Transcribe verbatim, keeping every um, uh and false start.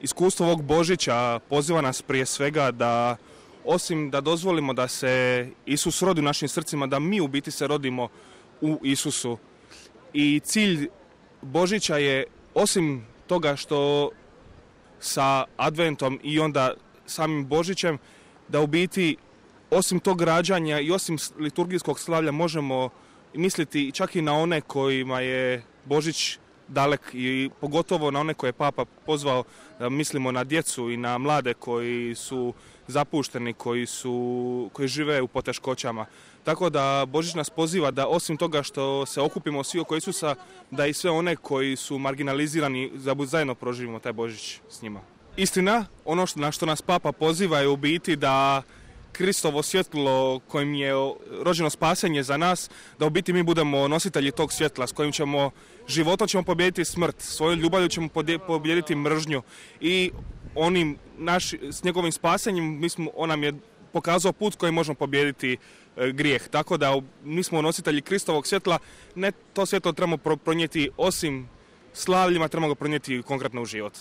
iskustvo ovog Božića poziva nas prije svega da osim da dozvolimo da se Isus rodi u našim srcima, da mi u biti se rodimo u Isusu. I cilj Božića je, osim toga što sa Adventom i onda samim Božićem, da u biti osim tog rađanja i osim liturgijskog slavlja možemo misliti čak i na one kojima je Božić dalek i pogotovo na one koje je Papa pozvao, da mislimo na djecu i na mlade koji su zapušteni, koji, su, koji žive u poteškoćama. Tako da Božić nas poziva da osim toga što se okupimo svi oko Isusa, da i sve one koji su marginalizirani zajedno proživimo taj Božić s njima. Istina, ono što, na što nas Papa poziva je u biti da Kristovo svjetlo kojim je rođeno spasenje za nas, da u biti mi budemo nositelji tog svjetla s kojim ćemo životom ćemo pobijediti smrt, svojom ljubavlju ćemo pobijediti mržnju i onim naš, s njegovim spasenjem mi smo, on nam je pokazao put kojim možemo pobijediti e, grijeh. Tako da mi smo nositelji Kristovog svjetla, ne to svjetlo trebamo pronijeti osim slavljima, trebamo ga pronijeti konkretno u život.